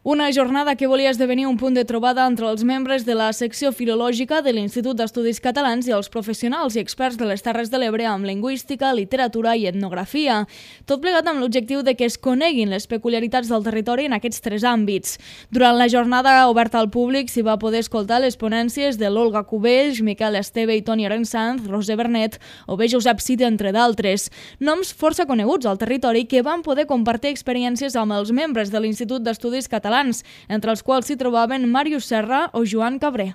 Una jornada que volia esdevenir un punt de trobada entre els membres de la secció filològica de l'Institut d'Estudis Catalans i els professionals i experts de les Terres de l'Ebre amb lingüística, literatura i etnografia. Tot plegat amb l'objectiu de que es coneguin les peculiaritats del territori en aquests tres àmbits. Durant la jornada oberta al públic s'hi va poder escoltar les ponències de l'Olga Cubells, Miquel Esteve i Toni Arensanz, Roser Bernet o bé Josep Cid, entre d'altres. Noms força coneguts al territori que van poder compartir experiències amb els membres de l'Institut d'Estudis Catalans, entre els quals s'hi trobaven Màrius Serra o Joan Cabré.